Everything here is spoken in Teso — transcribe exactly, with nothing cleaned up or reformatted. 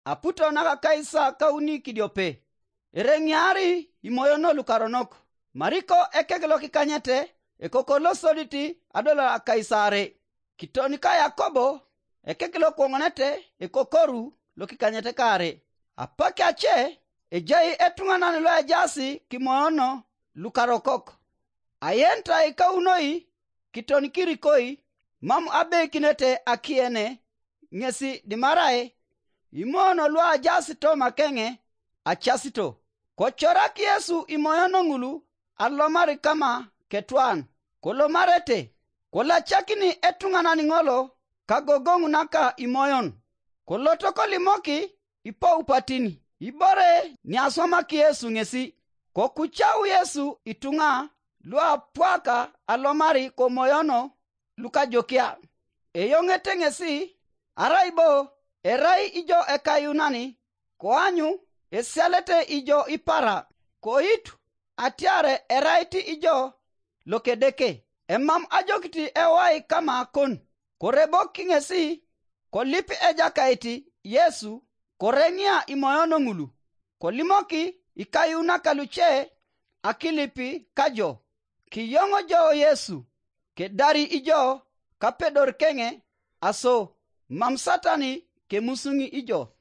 aputo naka kaisa kauni kidiope. Ereŋiari imoyono lukaronok. Mariko ekek lokikanyete, ekoko losodit adolor akaisare. Kiton ka Yakobo ekek lokwoŋonete, ekokoru lokikanyete kaare. Apak ace ejai etuŋanan loejaas kimoyono lukarokok. Ayentai kaunoi kiton kirikoi, mam abeikinete akiene ŋesi dimarae imoyono luajaas toma keŋe acasito. Kocorak Yesu imoyono ŋulu alomar kama ketwan, kolomarete, kolacakini etuŋanan ŋolo kagogoŋ naka imoyon. Koloto kolimoki ipaupatin ibore niaswamak Yesu ŋesi. Kokucau Yesu ituŋa luapwaka alomar komoyono lukajokia. Eyoŋete ŋesi, arai bo erai ijo ekayunani, koanyu esialete ijo ipara, koitu atiar erait ijo lokedeke. Emam ajokit ewai kama kon. Korebok ŋesi, kolip Ejakait Yesu, koreŋia imoyono ŋulu, kolimoki ikayunak luce akilip kajo, kiyoŋ jo Yesu, kedari ijo kapedor keŋe, aso mam Satan kemusuŋ ijo.